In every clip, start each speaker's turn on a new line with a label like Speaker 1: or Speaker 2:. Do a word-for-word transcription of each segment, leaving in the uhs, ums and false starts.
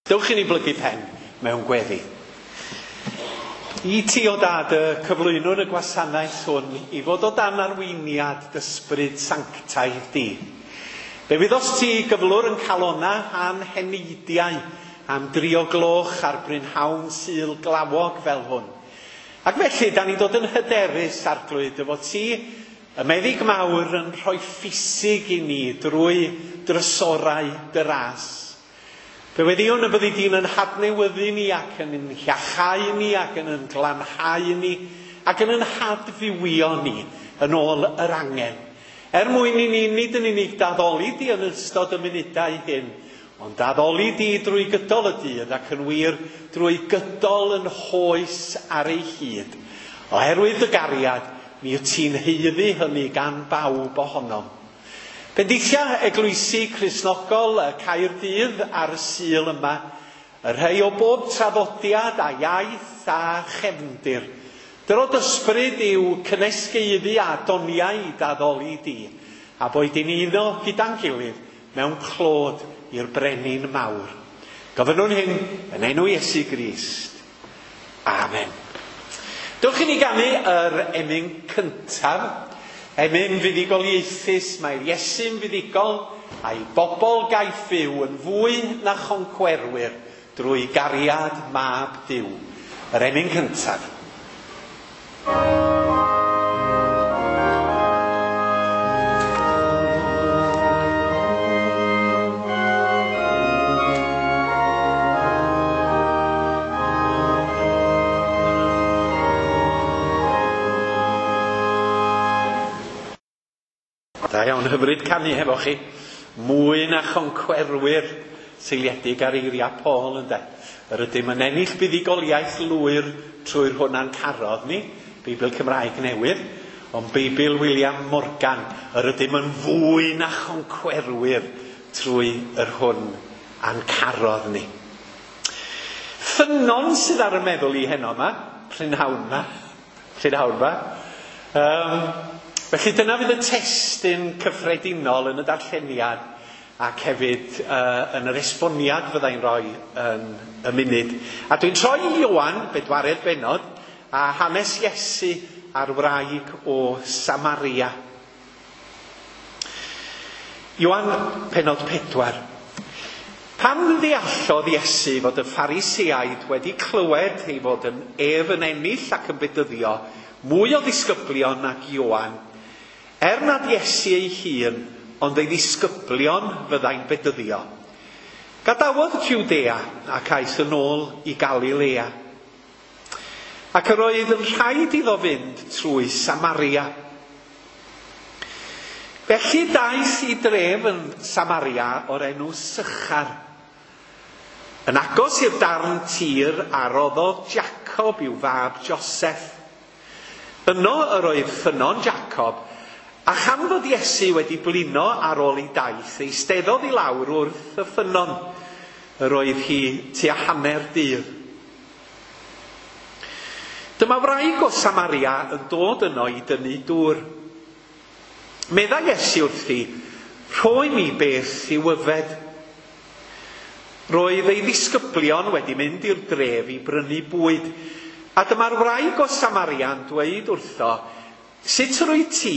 Speaker 1: Dewch i ni blygu pen mewn gweddi. I ti o dad y cyflwynwn y gwasanaeth hwn i fod o dan arweiniad d'ysbryd sanctaidd di. Fe wyddost ti gyflwr yn calona a'n heneidiau am dri o gloch ar brynhawn Sul glawog fel hwn. Ac felly, da ni'n dod yn hyderus, Arglwydd, dy fod ti, y meddyg mawr, yn rhoi ffisig i ni drwy drysorau dy ras. Fe weddïwn y byddi di'n yn hadnewyddu ni ac yn yn hiachau ni ac yn yn glanhau ni ac yn yn hadfywio ni yn ôl yr angen. Er mwyn i ni nid yn unig daddoli di yn ystod y munudau hyn, ond daddoli di drwy gydol y dydd ac yn wir drwy gydol yn hoes ar ei hyd. Oherwydd y gariad, mi wyt ti'n haeddu hynny gan bawb ohonom. Bendithia eglwysi Cristnogol y Caerdydd ar y Sul yma, y rhai o bob traddodiad a iaith a chefndir. Dyrod ysbryd yw cynnesgeiddi a doniau i daddoli di, a boed i'n uno gyda'n gilydd mewn clod i'r brenin mawr. Gofynnwn hyn yn enw Iesu Grist. Amen. Dewch i ni ganu yr emyn cyntaf. Emyn fuddugoliaethus, mae'r Iesu'n fuddugol a'i bobl gaiff fyw yn fwy na choncwerwyr drwy gariad mab Duw. Yr emyn cyntaf. Da iawn, hyfryd canu hefo chi. Mwy na choncwerwyr seiliedig ar eiriau Paul, ynde. Yr ydym yn ennill buddugoliaeth lwyr trwy'r hwnna'n carodd ni, Beibl Cymraeg newydd, ond Beibl William Morgan, yr ydym yn fwy na choncwerwyr trwy yr hwn a'n carodd ni. Ffynnon sydd ar y meddwl i heno yma, prynhawn yma, prynhawn yma. Um, Felly dyna fydd y testun cyffredinol yn y darlleniad ac hefyd uh, yn yr esboniad fyddai'n rhoi yn y munud. A dwi'n troi i Ioan, bedwaredd bennod, a hanes Iesu a'r wraig o Samaria. Ioan, pennod pedwar. Pan ddeallodd Iesu fod y Phariseaid wedi clywed ei fod yn ef yn ennill ac yn bedyddio mwy o ddisgyblion nag Ioan, er nad Iesu ei hun, ond ei ddisgyblion fyddai'n bedyddio. Gadawodd Jwdea ac aeth yn ôl i Galilea. Ac yr oedd yn rhaid iddo fynd trwy Samaria. Felly daeth i dref yn Samaria o'r enw Sychar, yn agos i'r darn tir a roddodd Jacob i'w fab Joseph. Yno yr oedd ffynnon Jacob, a chan fod Iesu wedi blino ar ôl ei daith, eisteddodd i lawr wrth y ffynnon. Yr oedd hi tua hanner dydd. Dyma wraig o Samaria yn dod yno i dynnu dŵr. Meddai Iesu wrthi, rhoi mi beth i'w yfed. Roedd ei ddisgyblion wedi mynd i'r dref i brynu bwyd, a dyma'r wraig o Samaria'n dweud wrtho, sut rwy ti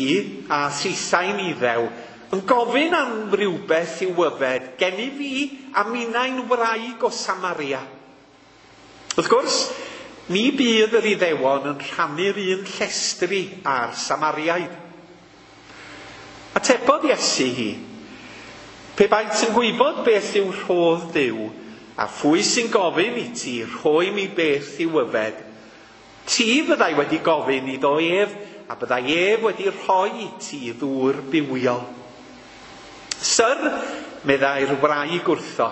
Speaker 1: a thithau'n Iddew yn gofyn am rywbeth i'w yfed gen i fi a minnau'n wraig o Samaria? Wrth gwrs, ni bydd yr Iddewon yn rhannu'r un llestri â'r Samariaid. Atebodd Iesu hi, pe baent yn gwybod beth yw rhodd Duw, a phwy sy'n gofyn i ti rhoi mi beth i'w yfed, ti fyddai wedi gofyn iddo ef, a byddai ef wedi rhoi i ti ddŵr bywiol. Syr, meddai'r wraig wrtho,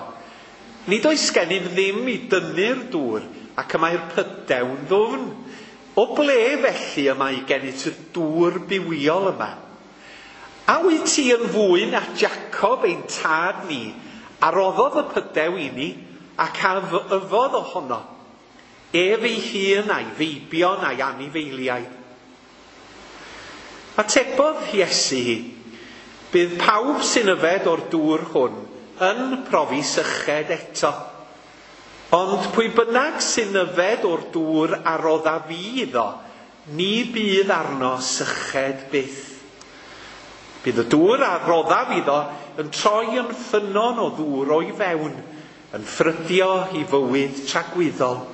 Speaker 1: nid oes gennym ddim i dynnu'r dŵr, ac y mae'r pydew'n ddwfn. O ble felly y mae gennyt y dŵr bywiol yma? A wyt ti yn fwy na Jacob ein tad ni, a roddodd y pydew i ni, ac a yfodd ohono, ef ei hun a'i feibion a'i anifeiliaid? Atebodd Iesu hi, bydd pawb sy'n yfed o'r dŵr hwn yn profi syched eto. Ond pwy bynnag sy'n yfed o'r dŵr a rodda fi iddo, ni bydd arno syched byth. Bydd y dŵr a roddaf iddo yn troi yn ffynnon o ddŵr o'i fewn, yn ffrydio i fywyd tragwyddol.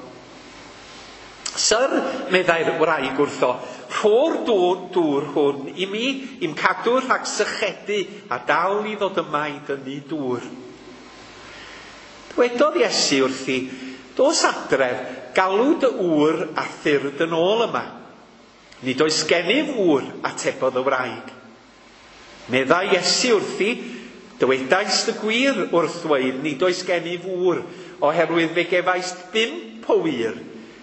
Speaker 1: Syr, meddai'r wraig wrtho, rho'r dŵr, dŵr hwn i mi, i'm cadw rhag sychedu a dal i ddod yma i dynnu dŵr. Dwedodd Iesu wrthi, dos adref, galw dy ŵr a thyrd yn ôl yma. Nid oes gennyf ŵr, atebodd y wraig. Meddai Iesu wrthi, dywedaist y gwir wrth ddweud, nid oes gennyf ŵr, oherwydd fe gefaist bump o wŷr,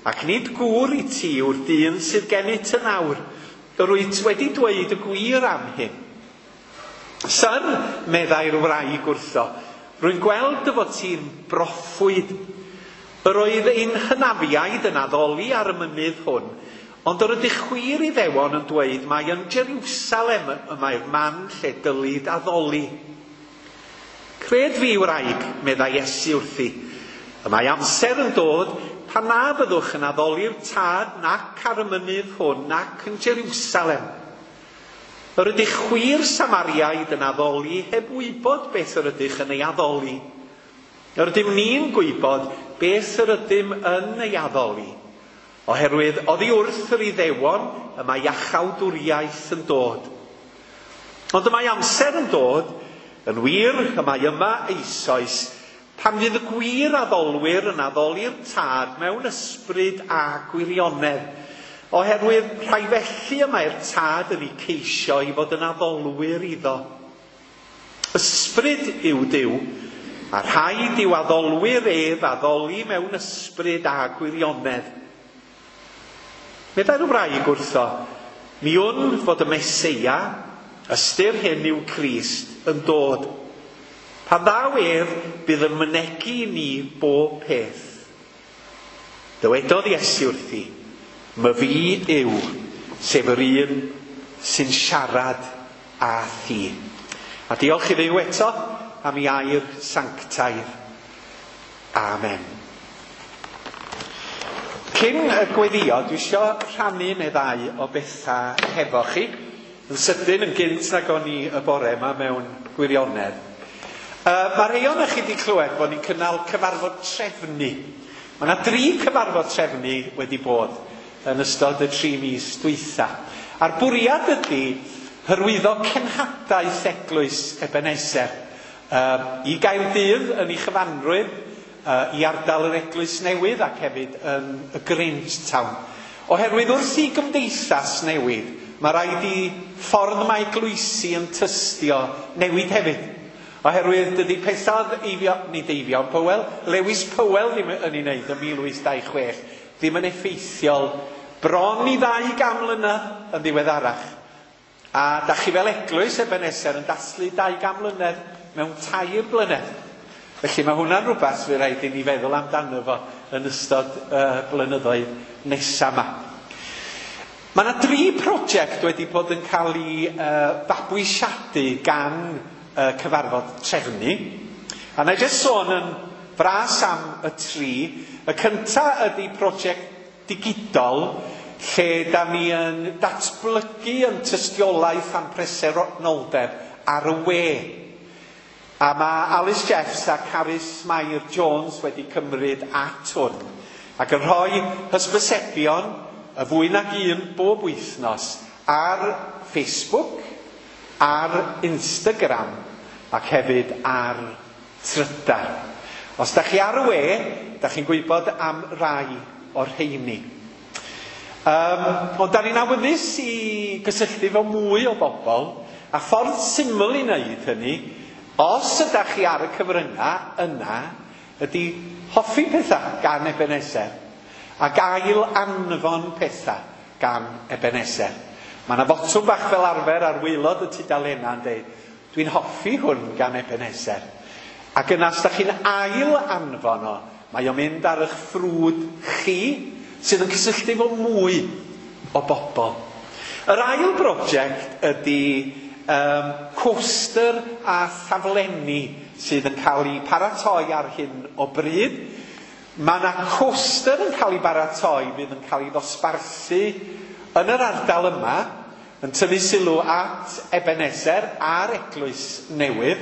Speaker 1: ac nid gŵr i ti yw'r dyn sydd gennyt yn awr. Yr wyt wedi dweud y gwir am hyn. Syr, meddai'r wraig wrtho, rwy'n gweld dy fod ti'n broffwyd. Yr oedd ein hynafiaid yn addoli ar y mynydd hwn, ond yr ydych chwir Iddewon yn dweud mai yn Jerusalem y mae'r man lle dylid addoli. Cred fi, wraig, meddai Iesu wrthi, y mae amser yn dod pan na fyddwch yn addoli'r Tad nac ar y mynydd hwn nac yn Jerusalem. Yr ydych chwir Samariaid yn addoli heb wybod beth yr ydych yn ei addoli. Yr ydym ni'n gwybod beth yr ydym yn ei addoli, oherwydd oddi wrth yr Iddewon y mae iachawdwriaeth yn dod. Ond y mae amser yn dod, yn wir, y mae yma eisoes, pan fydd y gwir addolwyr yn addoli'r Tad mewn ysbryd a gwirionedd, oherwydd rhai felly y mae'r Tad yn ei ceisio i fod yn addolwyr iddo. Ysbryd yw Duw, a rhaid i'w addolwyr ef addoli mewn ysbryd a gwirionedd. Meddai'r wraig wrtho, mi wn fod y Meseia, ystyr hyn yw Crist, yn dod. Pan ddaw ef, bydd yn mynegi i ni bob peth. Dywedodd Iesu wrthi, my fi yw, sef yr un sy'n siarad â thi. A diolch i Dduw eto am ei air sanctaidd. Amen. Cyn y gweddio, dwi isio rhannu neu ddau o bethau hefo chi. Yn sydyn, yn gynt nag o'n i y bore yma mewn gwirionedd. Uh, mae rhai ohonoch chi wedi clywed bod ni'n cynnal cyfarfod trefnu. Mae yna dri cyfarfod trefnu wedi bod yn ystod y tri mis dwytha. A'r bwriad ydy hyrwyddo cenhadaeth eglwys Ebenezer uh, i Gaerdydd yn ei chyfanrwydd, uh, i ardal yr eglwys newydd ac hefyd yn y Grangetown. Oherwydd wrth i gymdeithas newid, mae rhaid i ffordd mae eglwysi yn tystio newid hefyd. Oherwydd dydy pethau Eifion, nid Eifion Powell, Lewis Powell ddim yn ei wneud yn mil wyth dau chwech, ddim yn effeithiol bron i ddau gan mlynedd yn ddiweddarach. A da chi fel eglwys Ebenezer yn dathlu dau gan mlynedd mewn tair blynedd. Felly mae hwnna'n rhywbeth fydd rhaid i ni feddwl amdano fo yn ystod uh, blynyddoedd nesaf yma. Mae yna dri prosiect wedi bod yn cael ei uh, fabwysiadu gan uh, cyfarfod trefnu. A na i jyst sôn yn fras am y tri. Y cynta ydy prosiect digidol, lle da ni yn datblygu yn tystiolaeth am presenoldeb ar y we. A mae Alice Jeffs a Carys Mair Jones wedi cymryd at hwn ac yn rhoi hysbysebion y fwy nag un bob wythnos ar Facebook, ar Instagram ac hefyd ar Trydar. Os da chi ar y we, da chi'n gwybod am rai o'r rheini. Um, ond da ni'n awyddus i gysylltu efo mwy o bobl, a ffordd syml i wneud hynny, os ydych chi ar y cyfryngau yna, ydy hoffi pethau gan Ebenezer, ac ail anfon pethau gan Ebenezer. Mae yna fotwm bach fel arfer ar waelod y tudalennau yn dweud, dwi'n hoffi hwn gan Ebenezer. Ac yna, os da chi'n ail anfon o, mae o'n mynd ar eich ffrwd chi, sydd yn cysylltu efo mwy o bobl. Yr ail brosiect ydy um, coaster a thaflenni sydd yn cael eu paratoi ar hyn o bryd. Mae yna coaster yn cael ei baratoi fydd yn cael ei ddosbarthu yn yr ardal yma, yn tynnu sylw at Ebeneser a'r eglwys newydd.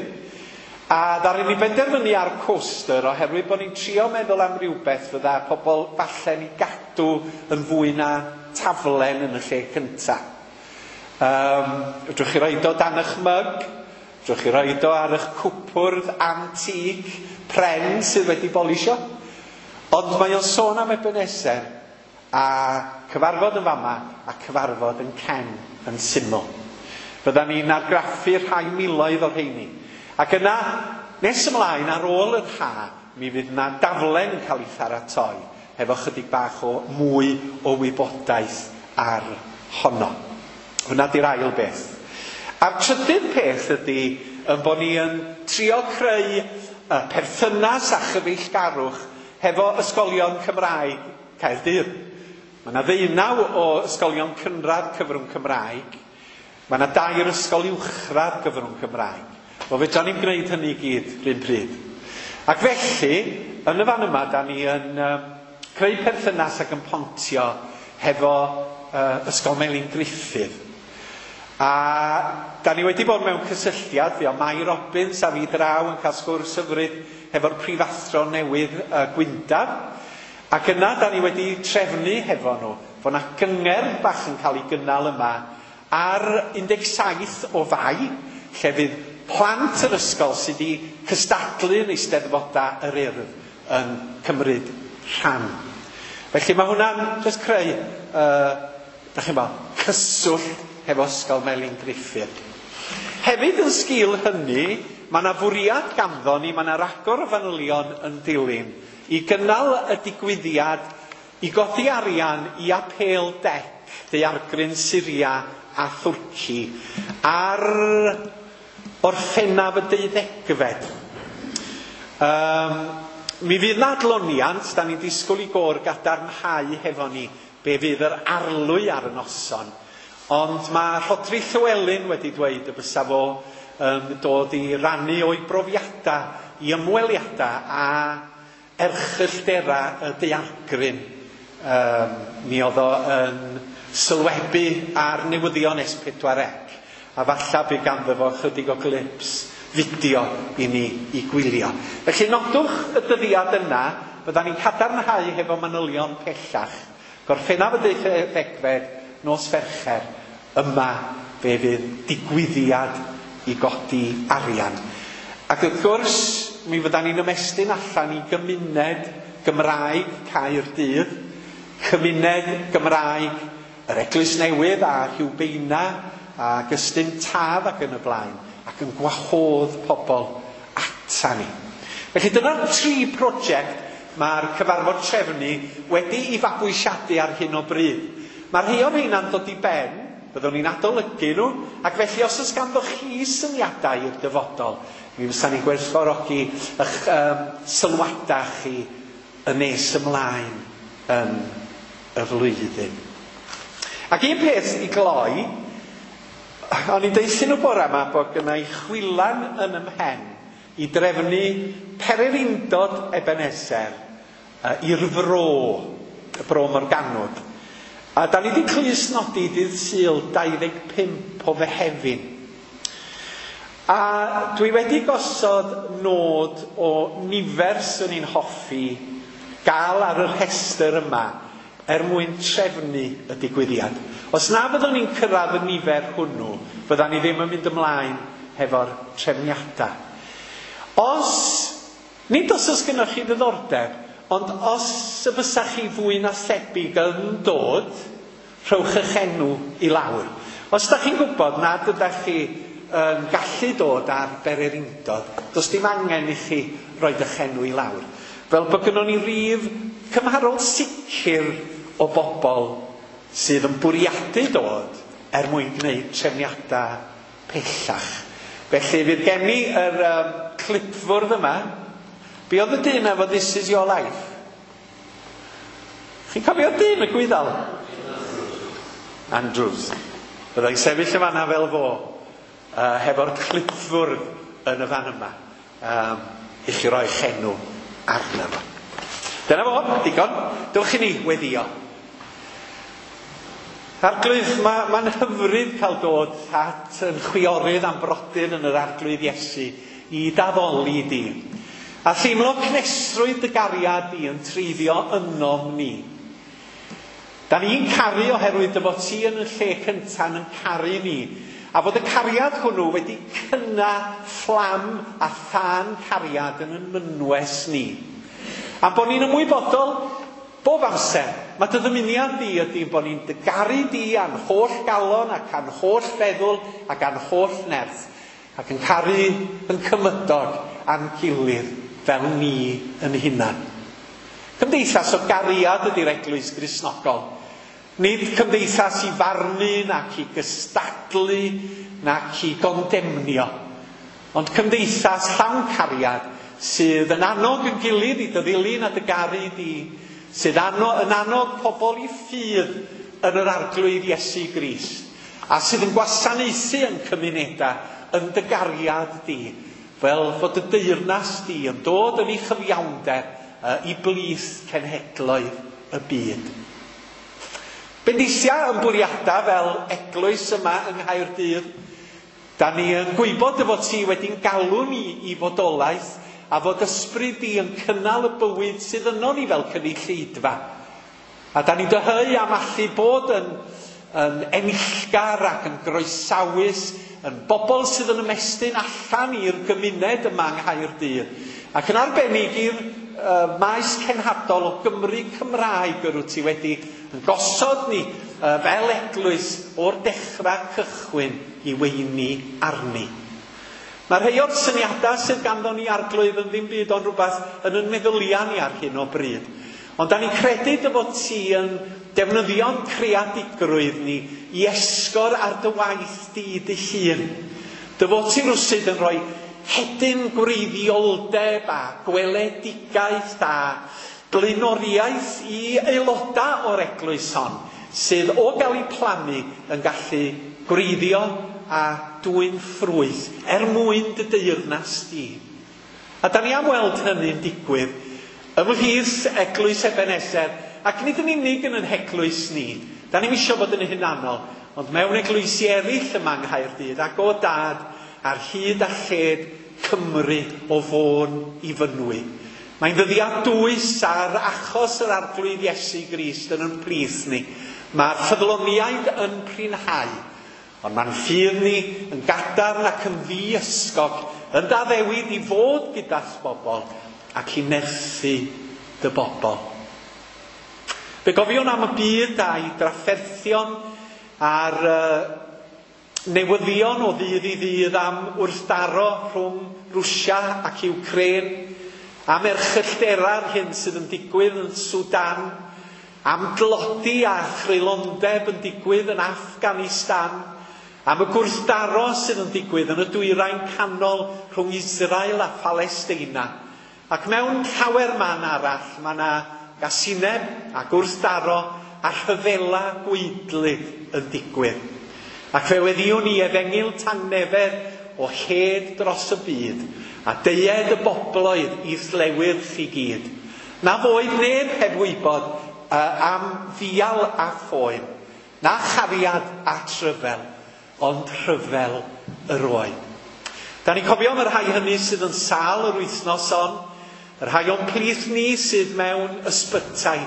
Speaker 1: A ddaru ni benderfynu ar coaster oherwydd bod ni'n trio meddwl am rywbeth fydda pobl falle'n ei gadw yn fwy na taflen yn y lle cynta. Um, fedrwch chi roid o dan eich myg, fedrwch chi roid o ar eich cwpwrdd antique pren sydd wedi bolisio. Ond mae o'n sôn am Ebeneser a cyfarfod yn fama a cyfarfod yn Cen yn syml. Fydda ni'n argraffu rhai miloedd o'r rheini. Ac yna, nes ymlaen ar ôl yr ha, mi fydd yna daflen yn cael ei pharatoi hefo chydig bach o mwy o wybodaeth ar honno. Hwna di'r ail beth. A'r trydydd peth ydy yn bod ni yn trio creu uh, perthynas a chyfeillgarwch hefo ysgolion Cymraeg Caerdydd. Mae yna ddeunaw o ysgolion cynradd cyfrwng Cymraeg. Mae yna dair ysgol uwchradd gyfrwng Cymraeg. Wel, fedra ni'n gwneud hynny i gyd rhywun pryd. Ac felly, yn y fan yma, da ni yn um, creu perthynas ac yn pontio hefo uh, Ysgol Melin Gruffydd. A da ni wedi bod mewn cysylltiad, fi o Mai Robbins a fi draw yn cael sgwrs hyfryd hefo'r prifathro newydd uh, Gwyndaf. Ac yna da ni wedi trefnu hefo nhw fod yna gyngerdd bach yn cael ei gynnal yma ar un deg saith o Fai, lle fydd plant yr ysgol sydd wedi cystadlu yn Eisteddfodau yr Urdd yn cymryd rhan. Felly mae hwnna'n just creu, uh, da chi'n bod, cyswllt hefo Ysgol Melin Gruffydd. Hefyd yn sgil hynny, mae yna fwriad ganddo ni, mae yna ragor o fanylion yn dilyn, i gynnal y digwyddiad i godi arian i apêl D E C, Daeargryn Syria a Thwrci, ar Orffennaf y deuddegfed. Um, mi fydd na adloniant, da ni'n disgwyl i gôr gadarnhau hefo ni be fydd yr arlwy ar y noson. Ond mae Rhodri Llywelyn wedi dweud y bysa fo um, dod i rannu o'i brofiadau, i ymweliadau a erchylltera y daeargryn. Um, mi oedd o yn sylwebu ar newyddion S pedwar C. A falla bydd ganddo fo chydig o clips fideo i ni i gwylio. Felly nodwch y dyddiad yna, fydda ni'n cadarnhau hefo manylion pellach. Gorffennaf y deuddegfed, nos Fercher, yma fe fydd digwyddiad i godi arian. Ac wrth gwrs, mi fydda ni'n ymestyn allan i gymuned Gymraeg Caerdydd, cymuned Gymraeg yr Eglwys Newydd a Rhiwbeina ac Ystum Taf ac yn y blaen, ac yn gwahodd pobl ata ni. Felly dyna'r tri prosiect mae'r cyfarfod trefnu wedi i fabwysiadu ar hyn o bryd. Mae rhai o'r rheina'n dod i ben, byddwn ni'n adolygu nhw, ac felly os oes ganddo chi syniadau i'r dyfodol, mi fysa ni'n gwerthfawrogi eich um, sylwadau chi yn nes ymlaen yn y flwyddyn. Ac un peth i gloi, o'n i'n deutha nhw bore yma bod gynna i chwilan yn 'y mhen i drefnu pererindod Ebenezer uh, i'r fro, y Bro Morgannwg. A da ni wedi clustnodi dydd Sul dau ddeg pump o Fehefin. A dwi wedi gosod nod o nifer sy'n ni'n hoffi gael ar y rhestr yma er mwyn trefnu y digwyddiad. Os na fyddwn ni'n cyrraedd y nifer hwnnw, fyddan ni ddim yn mynd ymlaen hefo'r trefniadau. Os, nid os oes gennych chi ddiddordeb, ond os y bysa chi fwy na thebyg yn dod, rhowch eich enw i lawr. Os da chi'n gwybod nad ydych chi yn gallu dod ar bererindod, does dim angen i chi roid eich enw i lawr. Fel bod gynnon ni rif cymharol sicr o bobl sydd yn bwriadu dod er mwyn gwneud trefniadau pellach. Felly fydd gen i yr um, clipfwrdd yma. Be oedd y dyn efo "This is your life"? Chi'n cofio dyn y gwyddal? Andrews. Byddai'n sefyll y fanna fel fo, uh, hefo'r clipfwrdd yn y fan yma, um, i chi roi enw arno fo. Dyna fo, digon. Dewch i ni weddio. Arglwydd, mae'n ma hyfryd cael dod at yn chwiorydd am brodyr yn yr Arglwydd Iesu i daddoli di. A theimlo cnesrwydd dy gariad di yn treiddio ynom ni. Da ni'n caru oherwydd dy fod ti yn y lle cynta'n yn caru ni. A fod y cariad hwnnw wedi cynna fflam a thân cariad yn yn mynwes ni. A bod ni'n ymwybodol bob amser, mae dy ddymuniad di ydy bod ni'n dy garu di a'n holl galon ac a'n holl feddwl ac a'n holl nerth ac yn caru yn cymydog a'n gilydd fel ni yn hunan. Cymdeithas o gariad ydy'r Eglwys Gristnogol. Nid cymdeithas i farnu nac i gystadlu nac i gondemnio, ond cymdeithas llawn cariad sydd yn annog yn gilydd i dy ddilyn a dy garu di, sydd ano, yn annog pobl i ffydd yn yr Arglwydd Iesu Grist, a sydd yn gwasanaethu yn cymunedau yn dy gariad di, fel fod y deyrnas di yn dod yn ei chyfiawnder uh, i blith cenhedloedd y byd. Bendithia yn bwriadau fel eglwys yma yng Nghaerdydd. Da ni yn gwybod dy fod ti wedi'n galw ni i fodolaeth a fod ysbryd di yn cynnal y bywyd sydd yno ni fel cynulleidfa. A da ni'n dyheu am allu bod yn, yn enillgar ac yn groesawus, yn bobl sydd yn ymestyn allan i'r gymuned yma yng Nghaerdydd. Ac yn arbennig i'r uh, maes cenhadol o Gymru Cymraeg yr wyt ti wedi yn gosod ni uh, fel eglwys o'r dechrau cychwyn i weini arni. Mae rhai o'r syniadau sydd ganddo ni Arglwydd yn ddim byd ond rhywbeth yn yn meddyliau ni ar hyn o bryd. Ond da ni'n credu dy fod ti yn defnyddio'n creadigrwydd ni i esgor ar dy waith di dy hun. Dy fod ti rwsyd yn rhoi hedyn gwreiddioldeb a gweledigaeth a blaenoriaeth i aelodau o'r eglwys hon, sydd o gael ei plannu yn gallu gwreiddio a dwyn ffrwyth er mwyn dy deyrnas di. A da ni am weld hynny'n digwydd ymhlith Eglwys Ebenezer, ac nid yn unig yn yn heglwys ni. Da ni'm isio bod yn hunanol, ond mewn eglwysi eraill yma yng Nghaerdydd, ac o dad ar hyd a lled Cymru o Fôn i Fynwy. Mae'n ddyddiad dwys ar achos yr Arglwydd Iesu Grist yn yn plith ni. Mae'r ffyddloniaid yn prinhau, ond mae'n ffydd ni yn gadarn ac yn ddiysgog, yn daddewid i fod gyda'r bobl ac i nerthu dy bobl. Fe gofiwn am y byd a'i drafferthion a'r uh, newyddion o ddydd i ddydd am wrthdaro rhwng Rwsia ac Ukraine, am erchylltera'r hyn sydd yn digwydd yn Sudan, am dlodi a chreulondeb yn digwydd yn Afghanistan, am y gwrthdaro sydd yn digwydd yn y dwyrain canol rhwng Israel a Palestina. Ac mewn llawer man arall, mae yna gasineb a gwrthdaro a rhyfela gwaedlyd yn digwydd. Ac fe weddiwn ni efengyl tangnefedd o hed dros y byd, a deued y bobloedd i llewyrch i gyd. Na foed neb heb wybod uh, am ddial a phoen, na chariad a tryfel, ond rhyfel yr oed. Da ni'n cofio am y rhai hynny sydd yn sâl yr wythnos hon, y rhai o'n plith ni sydd mewn ysbytai,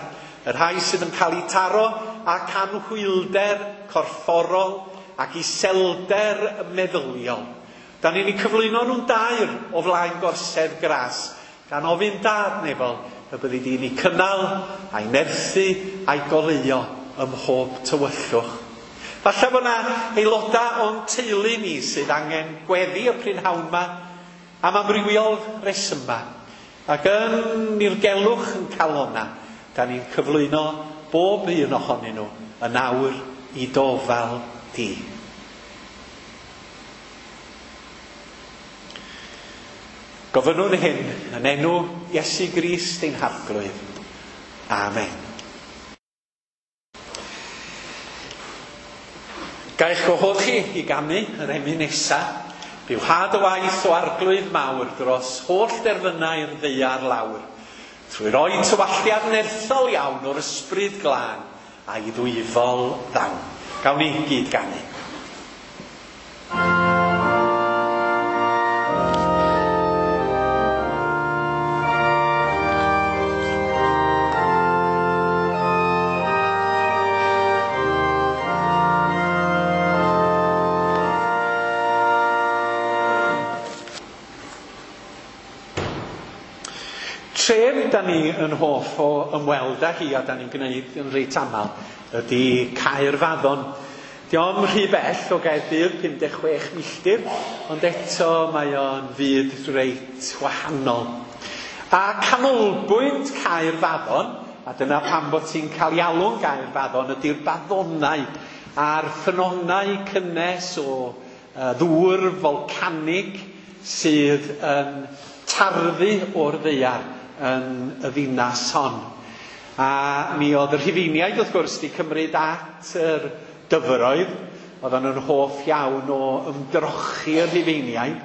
Speaker 1: y rhai sydd yn cael eu taro ac anhwylder corfforol ac iselder meddyliol. Da ni'n eu cyflwyno nhw'n dair o flaen gorsedd gras, gan ofyn dad nefol y byddi di'n eu cynnal a'i nerthu a'i goleuo ym mhob tywyllwch. Falle bod yna aelodau o'n teulu ni sydd angen gweddi y prynhawn yma am amrywiol resymau. Ac yn nirgelwch yn calona, da ni'n cyflwyno bob un ohonyn nhw yn awr i dofal di. Gofynnwn hyn yn enw Iesu Grist ein Harglwydd. Amen. Ga i'ch gwahodd chi i ganu yr emyn nesa. Byw had y waith o Arglwydd mawr dros holl derfynau'r ddaear lawr. trwy roi tywalliad nerthol iawn o'r ysbryd glân a'i ddwyfol ddawn. Gawn ni gyd ganu. Tref da ni yn hoff o ymweld â hi a da ni'n gwneud yn reit aml ydy Caerfaddon. Dio'm rhy bell o Gaerdydd, pum deg chwech milltir, ond eto mae o'n fyd reit wahanol. A canolbwynt Caerfaddon, a dyna pam bod ti'n cael ei alw'n Gaerfaddon, ydy'r baddonau a'r ffynhonnau cynnes o uh, ddŵr folcanig sydd yn tarddu o'r ddaear yn y ddinas hon. A mi oedd y Rhufeiniaid wrth gwrs wedi cymryd at yr dyfroedd, oedden nhw'n hoff iawn o ymdrochi y Rhufeiniaid,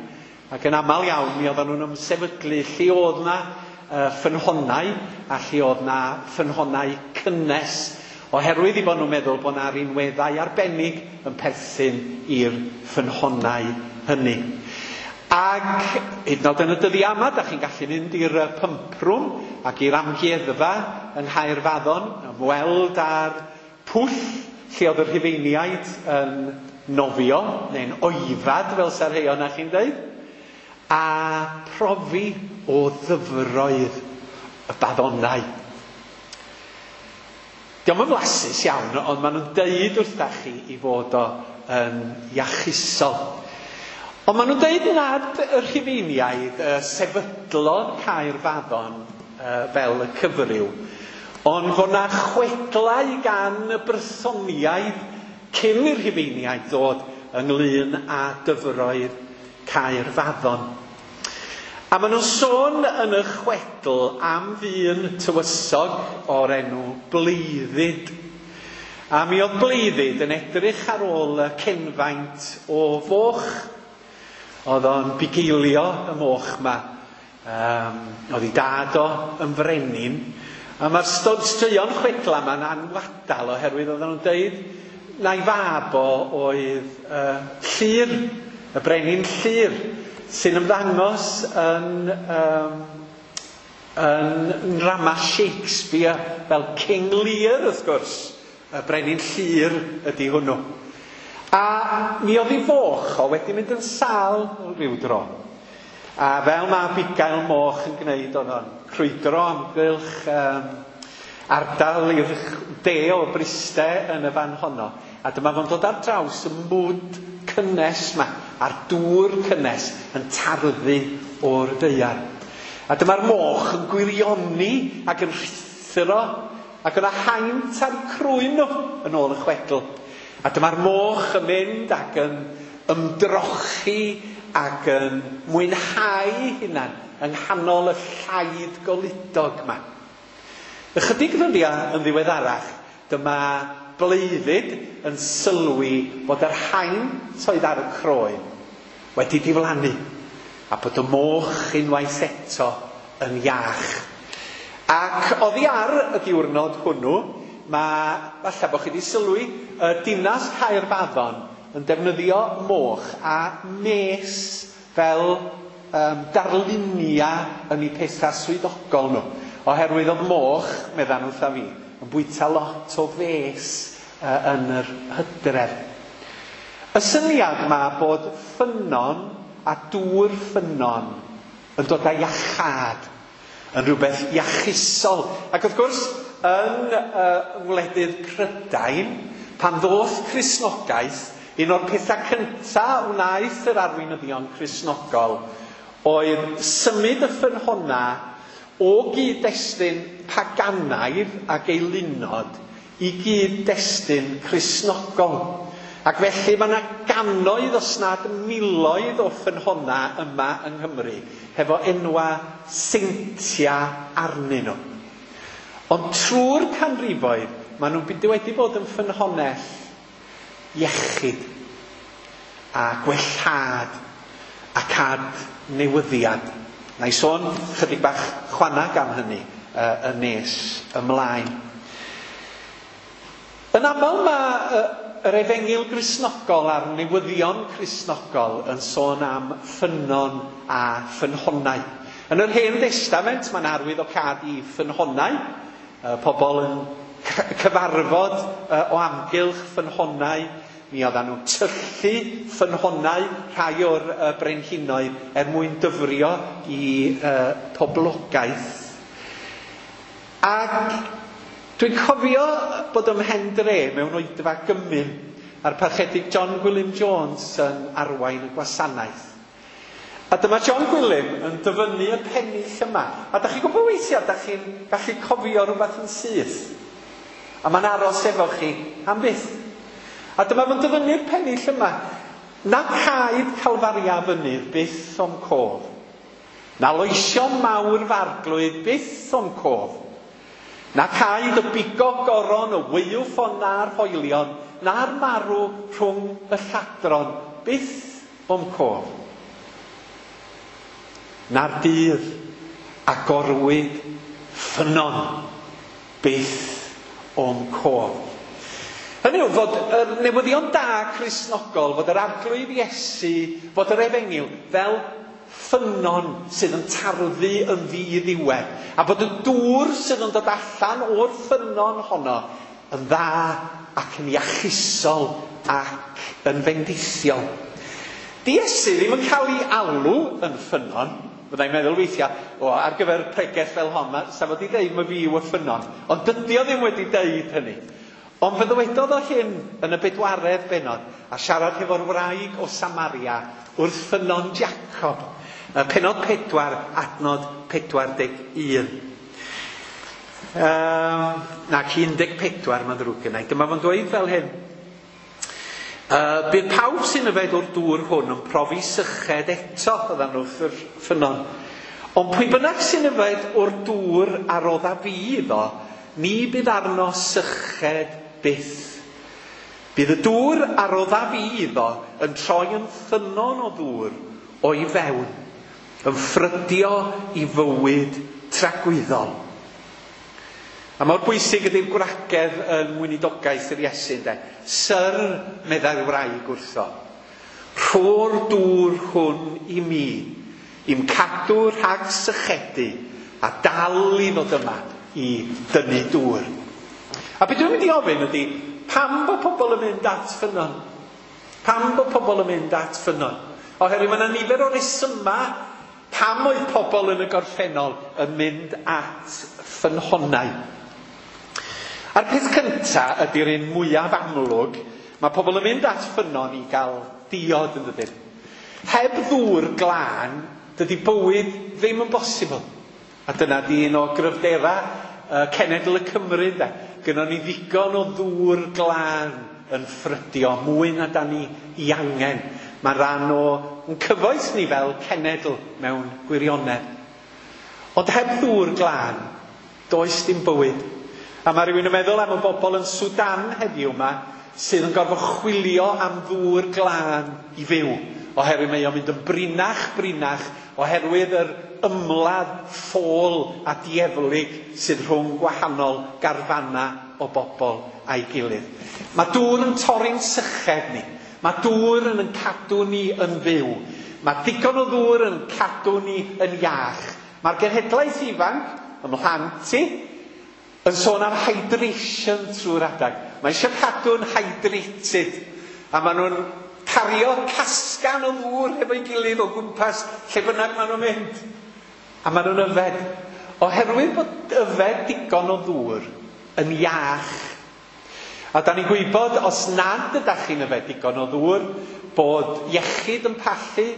Speaker 1: ac yn aml iawn mi oedden nhw'n ymsefydlu lle oedd na uh, ffynhonnau a lle oedd na ffynhonnau cynnes, oherwydd i bod nhw'n meddwl bod na rinweddau arbennig yn perthyn i'r ffynhonnau hynny. Ac hyd yn oed yn y dyddiau yma, da chi'n gallu mynd i'r pump room ac i'r amgueddfa yng Nghaerfaddon, ymweld â'r pwll lle oedd y Rhufeiniaid yn nofio, neu'n oifad fel sa'r rhai o'na chi'n dweud, a profi o ddyfroedd y baddonau. Dio'm yn flasus iawn, ond maen nhw'n deud wrtha chi i fod o yn iachusol. Ond maen nhw'n deud nad y Rhufeiniaid uh, sefydlodd Caerfaddon uh, fel y cyfryw, ond fod na chwedlau gan y Brythoniaid cyn i'r Rhufeiniaid ddod ynglyn â dyfroedd Caerfaddon. A maen nhw'n sôn yn y chwedl am ddyn tywysog o'r enw Bleiddid. A mi oedd Bleiddid yn edrych ar ôl y cenfaint o foch. Oedd o'n bugeilio y moch ma. Um, oedd ei dad o yn frenin. A mae'r straeon chwedla ma'n anwadal oherwydd oedden nhw'n deud na'i fab o oedd uh, Llyr, y brenin Llyr, sy'n ymddangos yn, um, yn nrama Shakespeare fel King Lear, wrth gwrs. Y brenin Llyr ydy hwnnw. A mi oedd ei foch o wedi mynd yn sâl rhyw dro. A fel mae bugail moch yn gwneud, oedd o'n crwydro amgylch um, ardal i'r de o Bryste yn y fan honno. A dyma fo'n dod ar draws y mwd cynnes ma, a'r dŵr cynnes yn tarddu o'r ddaear. A dyma'r moch yn gwirioni ac yn rhuthro, ac yna haint ar crwyn nhw yn ôl y chwedl. A dyma'r moch yn mynd ac yn ymdrochi ac yn mwynhau hunan yng nghanol y llaid goludog yma. Ychydig ddyddiau yn ddiweddarach, dyma Bleiddid yn sylwi bod yr haint oedd ar y croen wedi diflannu a bod y moch unwaith eto yn iach. Ac oddi ar y diwrnod hwnnw, mae, falle bod chi wedi sylwi, y dinas Caerfaddon yn defnyddio moch a mes fel um, darluniau yn eu pethau swyddogol nhw. Oherwydd oedd moch, meddan wrtha fi, yn bwyta lot o fes uh, yn yr hydref. Y syniad yma bod ffynnon a dŵr ffynnon yn dod â iachâd, yn rhywbeth iachusol. Ac wrth gwrs, yn uh, wledydd Prydain, pan ddoth Cristnogaeth, un o'r pethau cyntaf wnaeth yr arweinyddion Cristnogol oedd symud y ffynhonna o gyd-destun paganaidd ac eilunod i gyd-destun Cristnogol. Ac felly mae yna gannoedd os nad miloedd o ffynhonna yma yng Nghymru hefo enwa seintia arnyn nhw. Ond trwy'r canrifoedd, maen nhw wedi bod yn ffynhonnell iechyd a gwellhad ac adnewyddiad. Na i sôn chydig bach chwanag am hynny uh, yn nes ymlaen. Yn aml mae uh, yr efengyl Gristnogol a'r newyddion Cristnogol yn sôn am ffynnon a ffynhonnau. Yn yr Hen Destament mae'n arwyddocâd i ffynhonnau, uh, pobl yn cyfarfod uh, o amgylch ffynhonnau. Mi oedden nhw'n tyllu ffynhonnau rhai o'r uh, brenhinoedd er mwyn dyfrio i uh, poblogaeth. Ac dwi'n cofio bod ym Mhendre mewn oedfa gymun a'r parchedig John Gwilym Jones yn arwain y gwasanaeth. A dyma John Gwilym yn dyfynnu y pennill yma. A da chi'n gwybod weithiau, da chi'n gallu cofio rhywbeth yn syth. A mae'n aros efo chi am byth. A dyma fo'n dyfynnu'r pennill yma. Na caed Calfaria fynydd byth o'm cof. Na loesion mawr farglwydd byth o'm cof. Na caed y bigog goron, y wyw-ffon na'r hoelion, na'r marw rhwng y lladron byth o'm cof. Na'r dydd agorwyd ffynnon byth o'm cof. Hynny yw fod y newyddion da Cristnogol, fod yr Arglwydd Iesu, fod yr efengyl fel ffynnon sydd yn tarddu yn ddiddiwedd, a bod y dŵr sydd yn dod allan o'r ffynnon honno yn dda ac yn iachusol ac yn fendithiol. Di Iesu ddim yn cael ei alw yn ffynnon. Byddai'n meddwl weithiau, o, ar gyfer pregeth fel hon, sa fo 'di deud ma fi yw y ffynnon. Ond dydy o ddim wedi deud hynny. Ond fe ddywedodd o hyn yn y bedwaredd bennod, a siarad hefo'r wraig o Samaria wrth ffynnon Jacob. Pennod pedwar, adnod pedwar deg un. Um, nac un deg pedwar, mae'n ddrwg gennai. Dyma fo'n dweud fel hyn. Uh, bydd pawb sy'n yfed o'r dŵr hwn yn profi syched eto, oeddan nhw wrth yr ffynnon. Ond pwy bynnag sy'n yfed o'r dŵr a rodda fi iddo, ni bydd arno syched byth. Bydd y dŵr a rodda fi iddo yn troi yn ffynnon o ddŵr o'i fewn, yn ffrydio i fywyd tragwyddol. A mor bwysig ydy'r gwragedd yn weinidogaeth yr Iesu, ynde? Syr, meddai'r wraig wrtho, rho'r dŵr hwn i mi, i'm cadw rhag sychedu, a dal i ddod yma i dynnu dŵr. A beth dwi'n mynd i ofyn ydy, pam bod pobl yn mynd at ffynnon? Pam bod pobl yn mynd at ffynnon? Oherwydd mae yna nifer o resymau pam oedd pobl yn y gorffennol yn mynd at ffynhonnau. A'r peth cyntaf ydy'r un mwyaf amlwg, mae pobl yn mynd at ffynnon i gael diod yn dydyn. Heb ddŵr glân, dydy bywyd ddim yn bosibl. A dyna di un o gryfderau uh, cenedl y Cymru, ynde. Gynnon ni ddigon o ddŵr glân yn ffrydio, mwy na da ni i angen. Mae'n rhan o yn cyfoeth ni fel cenedl mewn gwirionedd. Ond heb ddŵr glân, does dim bywyd. A mae rhywun yn meddwl am y bobl yn Sudan heddiw yma sydd yn gorfod chwilio am ddŵr glân i fyw. Oherwydd mae o'n mynd yn brinach, brinach, oherwydd yr ymladd ffôl a dieflig sydd rhwng gwahanol garfanau o bobl a'i gilydd. Mae dŵr yn torri'n syched ni. Mae dŵr yn cadw ni yn fyw. Mae digon o ddŵr yn cadw ni yn iach. Mae'r genhedlaeth ifanc, ym mhlant i, yn sôn am hydration trwy'r adag. Mae eisiau cadw'n hydrated. A maen nhw'n cario casgan o ddŵr hefo'i gilydd o gwmpas lle bynnag maen nhw'n mynd. A maen nhw'n yfed. Oherwydd bod yfed digon o ddŵr yn iach. A da ni'n gwybod, os nad ydych chi'n yfed digon o ddŵr, bod iechyd yn pallu,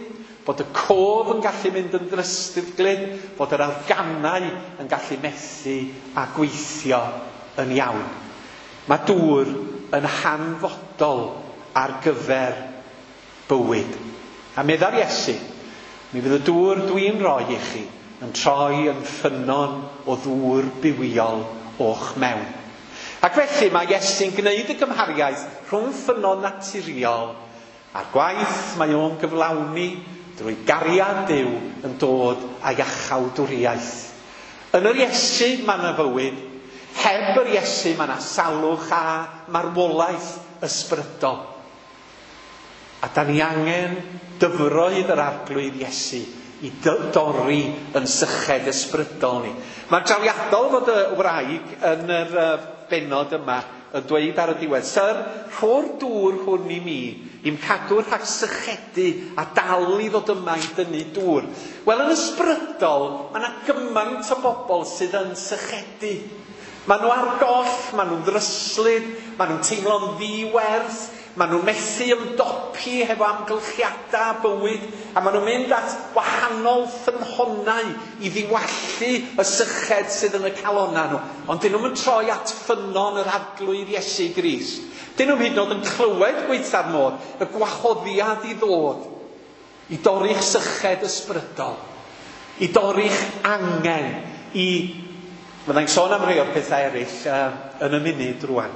Speaker 1: bod y cof yn gallu mynd yn ddrystyglyd, bod yr organau yn gallu methu a gweithio yn iawn. Mae dŵr yn hanfodol ar gyfer bywyd. A meddai'r Iesu, mi fydd y dŵr dwi'n rhoi i chi yn troi yn ffynnon o ddŵr bywiol o'ch mewn. Ac felly mae Iesu'n gwneud y gymhariaeth rhwng ffynnon naturiol a'r gwaith mae o'n gyflawni drwy gariad Duw yn dod â iachawdwriaeth. Yn yr Iesu mae yna fywyd, heb yr Iesu mae yna salwch a marwolaeth ysbrydol. A da ni angen dyfroedd yr Arglwydd Iesu i dorri yn syched ysbrydol ni. Mae'n drawiadol fod y wraig yn yr bennod yma yn dweud ar y diwedd, Syr, rho'r dŵr hwn i mi, i'm cadw rhag sychedu a dal i ddod yma i dynnu dŵr. Wel, yn ysbrydol, mae yna gymaint o bobl sydd yn sychedu. Maen nhw ar goll, maen nhw'n ddryslyd, maen nhw'n teimlo'n ddiwerth, maen nhw'n methu ymdopi hefo amgylchiadau bywyd, a maen nhw'n mynd at wahanol ffynhonnau i ddiwallu y syched sydd yn y calonnau nhw. Ond dyn nhw'n troi at ffynnon yr Arglwydd Iesu Grist. Dyn nhw'n hyd yn oed yn clywed gweitha'r modd, y gwahoddiad i ddod, i dorri'ch syched ysbrydol, i dorri'ch angen, i... Fyddai'n sôn am rhai o'r pethau eraill uh, yn y munud rwan.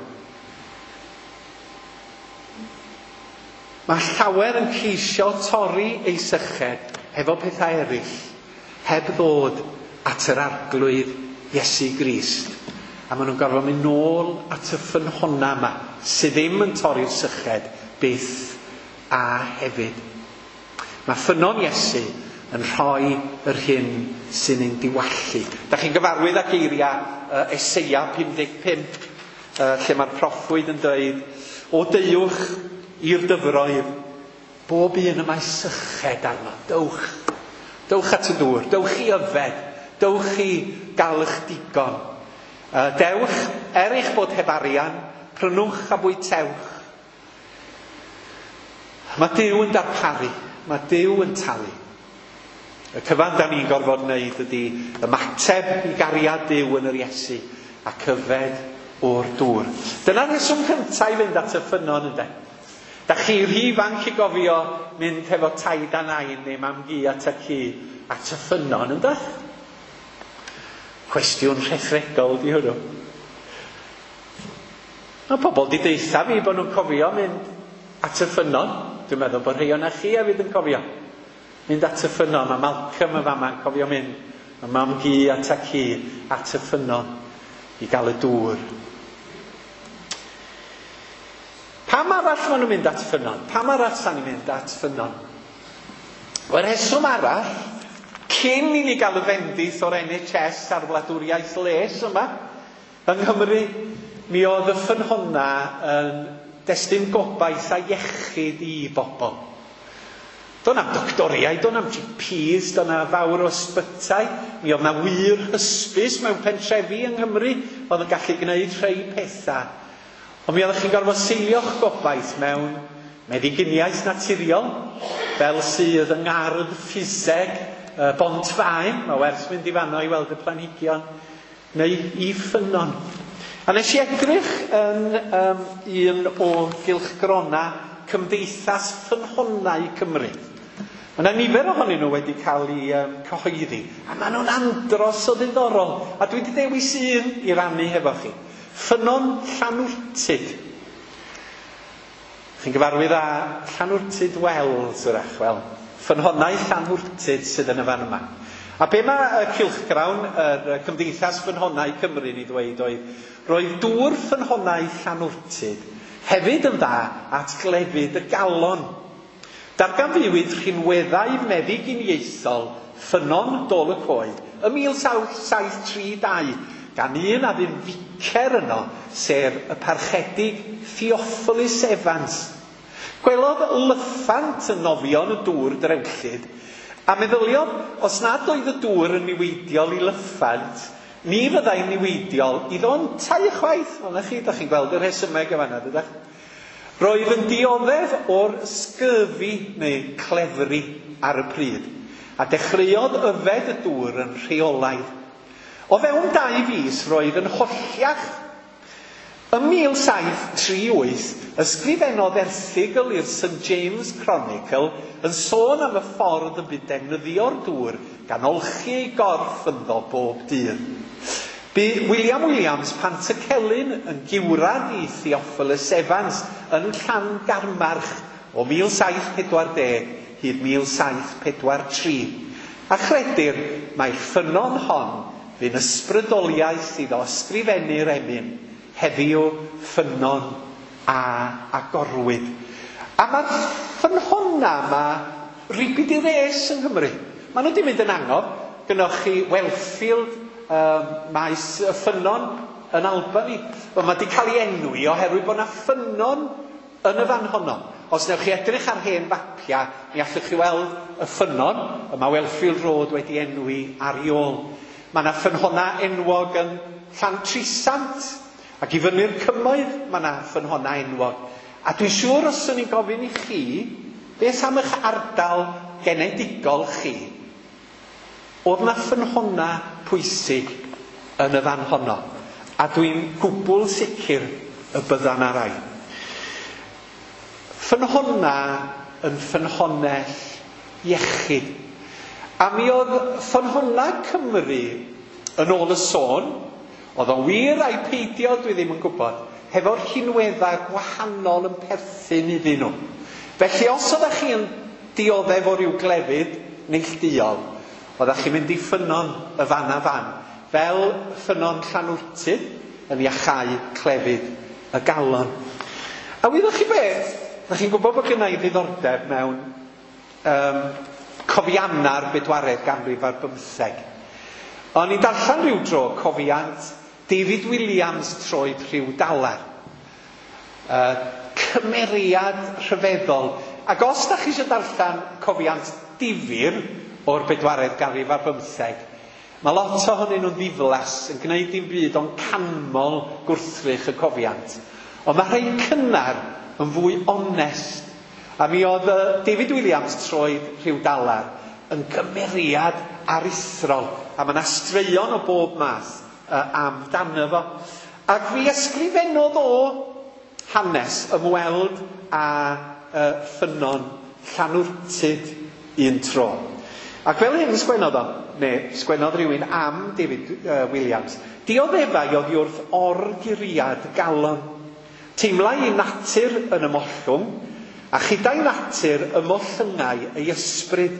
Speaker 1: Mae llawer yn ceisio torri ei syched hefo pethau eraill, heb ddod at yr Arglwydd Iesu Grist. A maen nhw'n gorfod mynd nôl at y ffynhonna yma, sydd ddim yn torri'r syched byth a hefyd. Mae ffynnon Iesu yn rhoi yr hyn sy'n ein diwallu. Da chi'n gyfarwydd â geiriau uh, Eseia pum deg pump, uh, lle mae'r proffwyd yn dweud, o deuwch i'r dyfroedd, bob un y mae syched arno, dewch. Dewch at y dŵr, dewch i yfed, dewch i gael eich digon. Uh, dewch, er eich bod heb arian, prynwch a bwytewch. Mae Duw yn darparu, mae Duw yn talu. Y cyfan da ni'n gorfod wneud ydy ymateb i gariad Duw yn yr Iesu a cyfed o'r dŵr. Dyna'r rheswm cyntaf i fynd at y ffynnon, ynde? Da chi rhy ifanc i gofio mynd hefo taid a nain neu mam-gu at y ci at y ffynnon, ynde? Cwestiwn rhethregol di hwnnw. Mae pobl di deutha fi bod nhw'n cofio mynd at y ffynnon. Dwi'n meddwl bod rhai o'na chi hefyd yn cofio. Mynd at y ffynnon. Mae Malcolm yn fama yn cofio mynd. Mae mam-gu at y ci at y ffynnon i gael y dŵr. Pam arall maen nhw'n mynd at ffynnon? Pam arall sa'n ni'n mynd at ffynnon? Wel, rheswm arall, cyn i ni gael y fendith o'r N H S a'r wladwriaeth les yma, yng Nghymru, mi oedd y ffynhonna yn destun gobaith a iechyd i bobl. Do'n am doctoriaid, do'n am G Ps, do'n am fawr o ysbytai. Mi oedd na wir hysbys mewn pentrefi yng Nghymru oedd yn gallu gwneud rhai pethau. Ond mi oeddech chi'n gorfod seilio'ch gobaith mewn meddyginiaeth naturiol, fel sydd yng ngardd ffiseg Bont-faen, mae werth mynd i fanno i weld y planhigion, neu i ffynnon. A nes i edrych yn um, un o gylchgrona Cymdeithas Ffynhonnau Cymru. Mae yna nifer ohonyn nhw wedi cael eu um, cyhoeddi, a maen nhw'n andros o ddiddorol. A dwi wedi dewis un i rannu hefo chi. Ffynnon Llanwrtyd. Chi'n gyfarwydd â Llanwrtyd Wells, wrach, wel, ffynhonnau Llanwrtyd sydd yn y fan yma. A be mae y cylchgrawn, yr Cymdeithas Ffynhonnau Cymru yn ei ddweud oedd, roedd dŵr ffynhonnau Llanwrtyd hefyd yn dda at glefyd y galon. Darganfuwyd rhinweddau meddyginiaethol ffynnon Dôl y Coed ym mil saith tri dau gan un a fu'n ficer yno, sef y parchedig Theophilus Evans. Gwelodd lyffant yn nofio yn y dŵr drewllyd, a meddyliodd, os nad oedd y dŵr yn niweidiol i lyffant, ni fyddai'n niweidiol iddo yntau chwaith. Wel, na chi, da chi'n gweld y rhesymeg yn fan'na, dydach? Roedd yn dioddef o'r scurvy neu clefri ar y pryd, a dechreuodd yfed y dŵr yn rheolaidd. O fewn dau fis roedd yn holliach. Ym mil saith tri wyth, ysgrifennodd erthygl i'r Saint James Chronicle yn sôn am y ffordd y bu defnyddio'r dŵr gan olchi ei gorff ynddo bob dydd. Bu William Williams Pantycelyn yn giwrad i Theophilus Evans yn Llangarmarch o mil saith pedwar deg hyd mil saith pedwar tri. A chredir mai'r ffynnon hon fu'n ysbrydoliaeth iddo ysgrifennu'r emyn, heddiw ffynnon a agorwyd. A mae'r ffynhonna yma ribid i res yng Nghymru. Maen nhw wedi mynd yn angof. Gynnwch chi Wellfield, um, maes y ffynnon yn Albany. Wel, mae wedi cael ei enwi oherwydd bod yna ffynnon yn y fan honno. Os newch chi edrych ar hen fapiau, mi allwch chi weld y ffynnon, y mae Wellfield Road wedi enwi ar ei ôl. Mae yna ffynhonna enwog yn Llantrisant, ac i fyny'r cymoedd mae yna ffynhonna enwog. A dwi'n siŵr os swn i'n gofyn i chi, beth am eich ardal genedigol chi? Oedd yna ffynhonna pwysig yn y fan honno. A dwi'n gwbl sicr y bydda 'na rai. Ffynhonna yn ffynhonnell iechyd. A mi oedd ffynhonna Cymru yn ôl y sôn, oedd o'n wir ai peidio, dwi ddim yn gwybod, hefo'r rhinweddau gwahanol yn perthyn iddyn nhw. Felly os oeddech chi yn dioddef o ryw glefyd neillduol, oeddech chi'n mynd i ffynnon y fan a fan, fel ffynnon Llanwrtyd yn iachau clefyd y galon. A wyddoch chi beth? Ydych chi'n gwybod bod gynna i ddiddordeb mewn um, cofianna'r bedwaredd ganrif ar bymtheg. O'n i'n darllen rhyw dro cofiant David Williams troed rhyw dalar. Uh, cymeriad rhyfeddol. Ac os da chi eisiau darllen cofiant difyr o'r bedwaredd ganrif ar bymtheg, mae lot ohonyn nhw'n ddiflas yn gwneud dim byd ond canmol gwrthrych y cofiant. Ond mae rhai cynnar yn fwy onest. A mi oedd David Williams troed rhyw dalar yn gymeriad aruthrol. A mae yna straeon o bob math uh, amdano fo. Ac fi ysgrifennodd o hanes ymweld â uh, ffynnon Llanwrtyd un tro. Ac fel hyn sgwennodd o, neu sgwennodd rhywun am David uh, Williams, dioddefai oddi wrth orguriad galon. Teimlai ei natur yn ymollwng, a chyda'i natur ymollyngai ei ysbryd.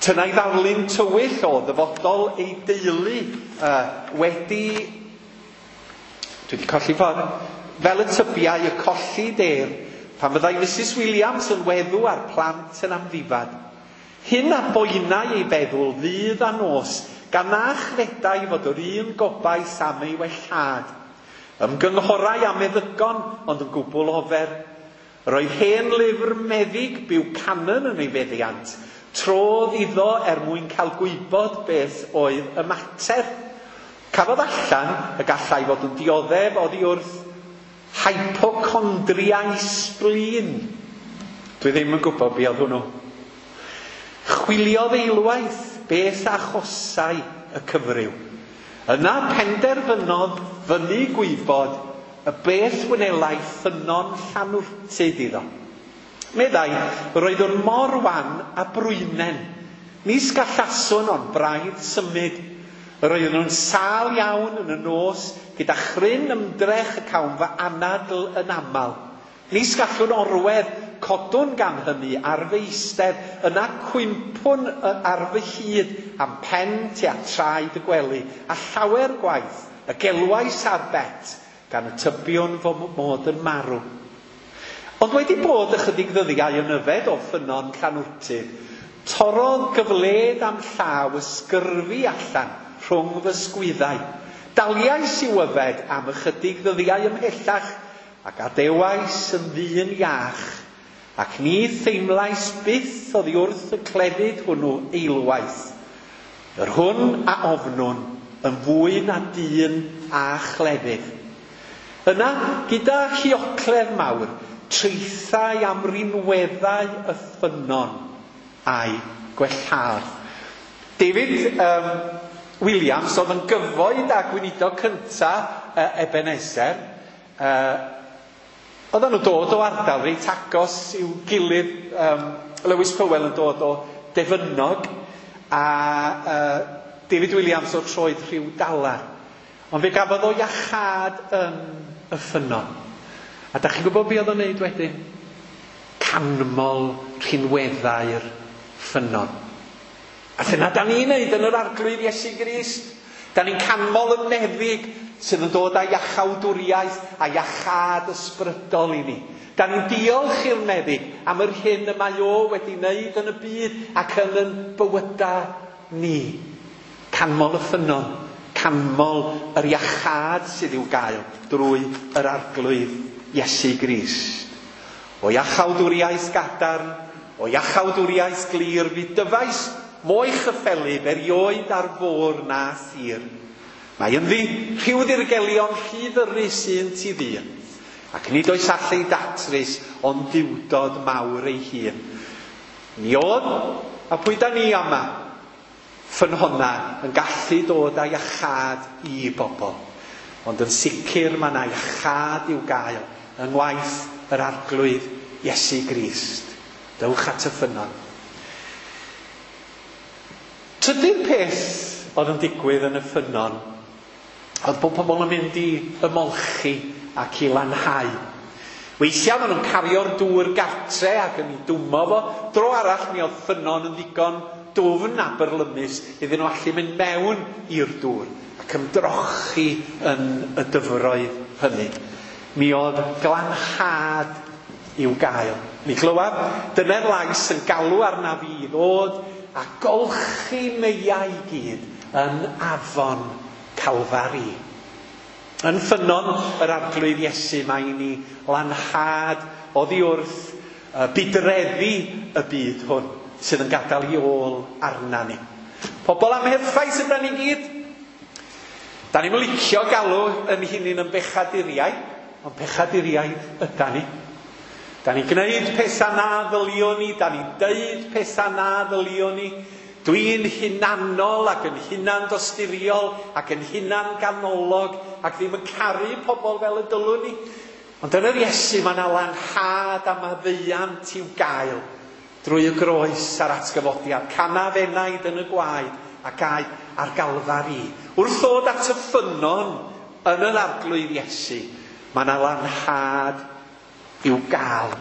Speaker 1: Tynnai ddarlun tywyll o ddyfodol ei deulu uh, wedi... Dwi wedi colli ffordd. Fel y tybiau y colli def, pan fyddai Missus Williams yn weddw a'r plant yn amddifad. Hyn a boenai ei feddwl ddydd a nos, gan na chredai fod yr un gobaith am ei wellhad. Ymgynghorai a meddygon, ond yn gwbl ofer. Roedd hen lyfr meddyg Buchanan yn ei feddiant. Trodd iddo er mwyn cael gwybod beth oedd y mater. Cafodd allan y gallai fod yn dioddef oddi wrth hypochondriau spleen. Dwi ddim yn gwybod be oedd hwnnw. Chwiliodd eilwaith beth achosai y cyfryw. Yna penderfynodd fyny gwybod y beth wnelai ffynnon Llanwrtyd iddo. Meddai, roeddwn mor wan a brwynen. Nis gallaswn ond braidd symud. Roeddwn nhw'n sâl iawn yn y nos, gyda chryn ymdrech y cawn fy anadl yn aml. Nis gallwn orwedd, codwn gan hynny ar fy eistedd, yna cwympwn ar fy hyd am pen tua traed y gwely, a llawer gwaith, y gelwais ar Bet, gan y tybiwn fo mod yn marw. Ond wedi bod ychydig ddyddiau yn yfed o ffynnon Llanwrtyd, torrodd gyfled am llaw ysgyrfu allan rhwng fy sgwyddau. Daliais i'w yfed am ychydig ddyddiau ymhellach, ac adewais yn ddyn iach, ac ni theimlais byth oddi wrth y clefyd hwnnw eilwaith. Yr hwn a ofnwn yn fwy na dyn a chlefyd. Yna, gyda hiocledd mawr, traethau am rinweddau y ffynnon a'i gwellhad. David um, Williams oedd yn gyfoed a gweinidog cynta uh, Ebenezer. Uh, Oedden nhw dod o ardal reit agos i'w gilydd. Um, Lewis Powell yn dod o Defynnog a uh, David Williams o troed rhyw dalar. Ond fe gafodd o iachâd yn y ffynnon. A da chi'n gwybod be oedd o'n neud wedyn? Canmol rhinweddau'r ffynnon. A dyna da ni'n neud yn yr Arglwydd Iesu Grist. Da ni'n canmol y meddyg sydd yn dod â iachawdwriaeth a iachâd ysbrydol i ni. Da ni'n diolch i'r meddyg am yr hyn y mae o wedi wneud yn y byd ac yn yn bywyda ni. Canmol y ffynnon, canmol yr iachâd sydd i'w gael drwy yr Arglwydd Iesu Grist. O iachawdwriaeth gadarn, o iachawdwriaeth glir, fi dyfais mo'i chyffelyb erioed ar fôr na thir. Mae ynddi rhyw ddirgelion rhy ddyrus un ti ddyn, ac nid oes allu datrys ond diwdod mawr ei hun. Ni oedd, a pwy da ni yma, ffynhonna yn gallu dod â iachâd i bobl. Ond yn sicr mae yna iachâd i'w gael yng ngwaith yr Arglwydd Iesu Grist. Dewch at y ffynnon. Trydydd peth oedd yn digwydd yn y ffynnon oedd bod pobl yn mynd i ymolchi ac i lanhau. Weithiau maen nhw'n cario'r dŵr gartre ac yn ei dwmo fo. Dro arall mi oedd ffynnon yn ddigon dwfn a byrlymus iddyn nhw allu mynd mewn i'r dŵr ac ymdrochi yn y dyfroedd hynny. Mi oedd glanhad i'w gael. Mi glywaf dyna'r lais yn galw arna fi i ddod a golchi meiau i gyd yn afon Calfari. Yn ffynnon yr Arglwydd Iesu mae i ni lanhad oddi wrth budreddi y byd hwn sydd yn gadael i ôl arna ni. Pobl amherffaith ydan ni gyd. Da ni'n licio galw yn hunain yn bechaduriaid, ond pechaduriaid ydan ni. Da ni'n gwneud pethau na ddylion ni, da ni'n deud pethau na ddylion ni. Dwi'n hunanol ac yn hunan dosturiol ac yn hunan ganolog ac ddim yn caru pobl fel y dylwn ni. Ond yn yr Iesu mae yna lanhad a maddeuant i'w gael drwy y groes a'r atgyfodiad. Canaf enaid yn y gwaed ac aed ar Galfari. Wrth ddod at y ffynnon yn yr Arglwydd Iesu, mae yna lanhad i'w gael.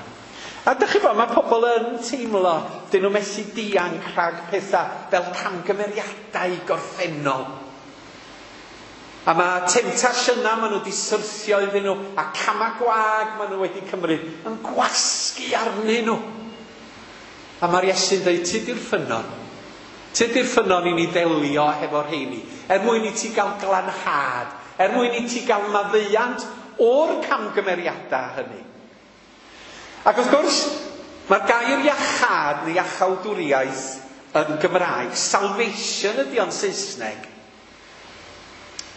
Speaker 1: A dych chi bod, mae pobl yn teimlo, dyn nhw methu dianc rhag pethau fel camgymeriadau gorffennol. A mae temtasiynau maen nhw wedi syrthio iddyn nhw, a camau gwag maen nhw wedi cymryd, yn gwasgu arnyn nhw. A mae'r Iesu'n dweud, ti di'r ffynnon. Ti di'r ffynnon i ni ddelio hefo'r rheini, er mwyn i ti gael glanhad, er mwyn i ti gael maddeuant o'r camgymeriadau hynny. Ac wrth gwrs, mae'r gair iachâd neu iachawdwriaeth yn Gymraeg, salvation ydy o'n Saesneg,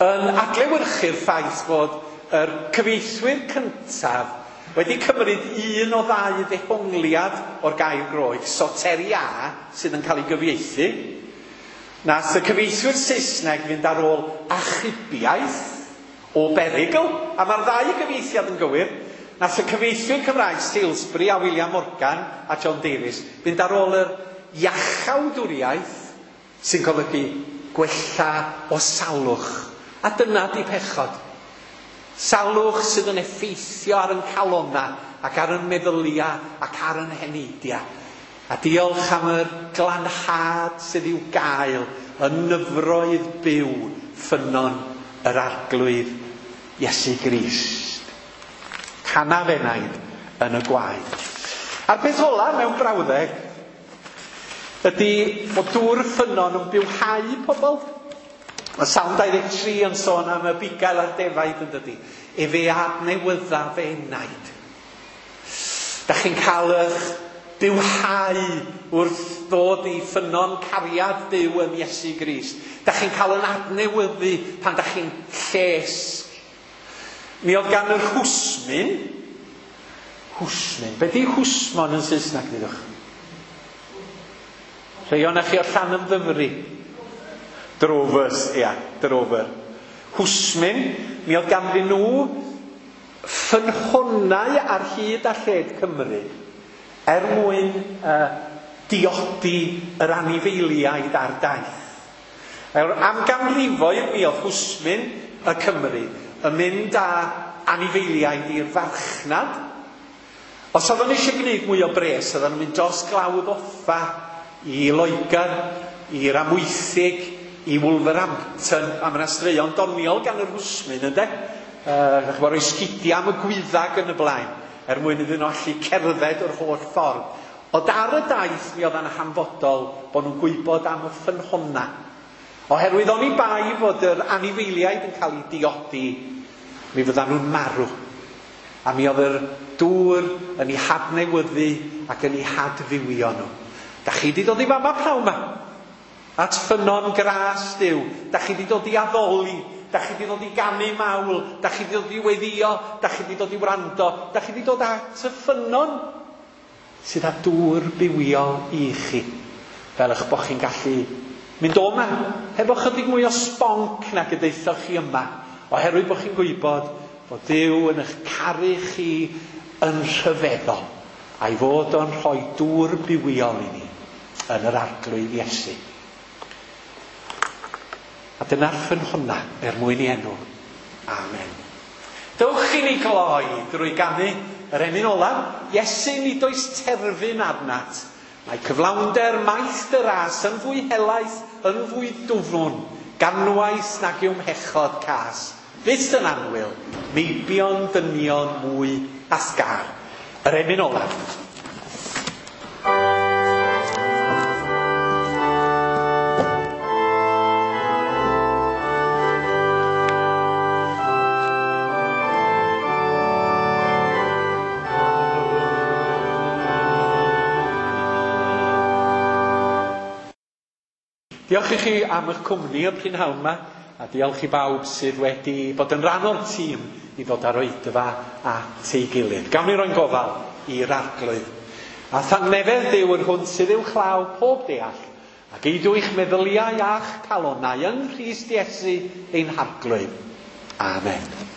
Speaker 1: yn adlewyrchu'r ffaith fod yr cyfieithwyr cyntaf wedi cymryd un o ddau ddehongliad o'r gair Groeg, soteria, sydd yn cael ei gyfieithu. Nath y cyfieithwyr Saesneg fynd ar ôl achubiaeth o berygl, a mae'r ddau gyfieithiad yn gywir. Nath y cyfieithwyr Cymraeg Salisbury a William Morgan a John Davies fynd ar ôl yr iachawdwriaeth sy'n golygu gwella o salwch. A dyna di pechod. Salwch sydd yn effeithio ar yn calonna ac ar yn meddylia ac ar yn heneidia. A diolch am yr glanhad sydd i'w gael yn nyfroedd byw ffynnon yr Arglwydd Iesu Grist. Canaf enaid yn y gwaed. A'r peth ola mewn brawddeg ydy bod dŵr ffynnon yn bywhau pobl. Mae Salm dau ddeg tri yn sôn am y bugail a'r defaid yn dydy. Efe adnewydda fe enaid. Da chi'n cael eich bywhau wrth ddod i ffynnon cariad Duw yn Iesu Grist. Da chi'n cael yn adnewyddu pan da chi'n lles. Mi oedd gan yr hwsmin, hwsmin, be di hwsmon yn Saesneg, dydwch? Rhai o'na chi o Llanymddyfri. Drovers, ia, drover. Hwsmin, mi oedd ganddyn nhw ffynhonnau ar hyd a lled Cymru er mwyn uh, diodi yr anifeiliaid ar daith. Er, am ganrifoedd mi oedd hwsmin y Cymru yn mynd â anifeiliaid i'r farchnad. Os oedden nhw eisiau gwneud mwy o bres, oedden nhw'n mynd dros Glawdd Offa i Loegr, i'r Amwythig, i Wolverhampton, a mae yna straeon doniol gan yr hwsmyn, ynde? Uh, ch'bo, rhoi sgidiau am y gwyddag yn y blaen, er mwyn iddyn nhw allu cerdded yr holl ffordd. Ond ar y daith mi oedd yn hanfodol bod nhw'n gwybod am y ffynhonna. Oherwydd oni bai fod yr anifeiliaid yn cael eu diodi, mi fyddan nhw'n marw. A mi oedd yr dŵr yn eu hadnewyddu ac yn eu hadfywio nhw. Da chi wedi dod i fama pnawn 'ma? At ffynnon gras Duw. Da chi wedi dod i addoli. Da chi wedi dod i ganu mawl. Da chi wedi dod i weddïo. Da chi wedi dod i wrando. Da chi wedi dod at y ffynnon sydd â dŵr bywiol i chi. Fel eich bod chi'n gallu mynd o yma hefo chydig mwy o sbonc nag y daethoch chi yma. Oherwydd bod chi'n gwybod bod Duw yn eich caru chi yn rhyfeddol, a'i fod o'n rhoi dŵr bywiol i ni yn yr Arglwydd Iesu. A dyna'r ffynhonna er mwyn i enw. Amen. Dewch i ni gloi drwy ganu yr emyn olaf. Iesu, nid oes terfyn arnat. Mae cyflawnder maith dy ras yn fwy helaeth, yn fwy dwfn, ganwaith nag yw'm hechod cas. Fyth yn annwyl, meibion dynion mwy asgar. Yr emyn olaf. Diolch i chi am eich cwmni y prynhawn yma, a diolch i bawb sydd wedi bod yn rhan o'r tîm i ddod â'r oedfa at ei gilydd. Gawn ni roi'n gofal i'r Arglwydd. A thangnefedd Duw yr hwn sydd uwchlaw pob deall, ac eidw eich meddyliau a'ch calonnau yng Nghrist Iesu ein Harglwydd. Amen.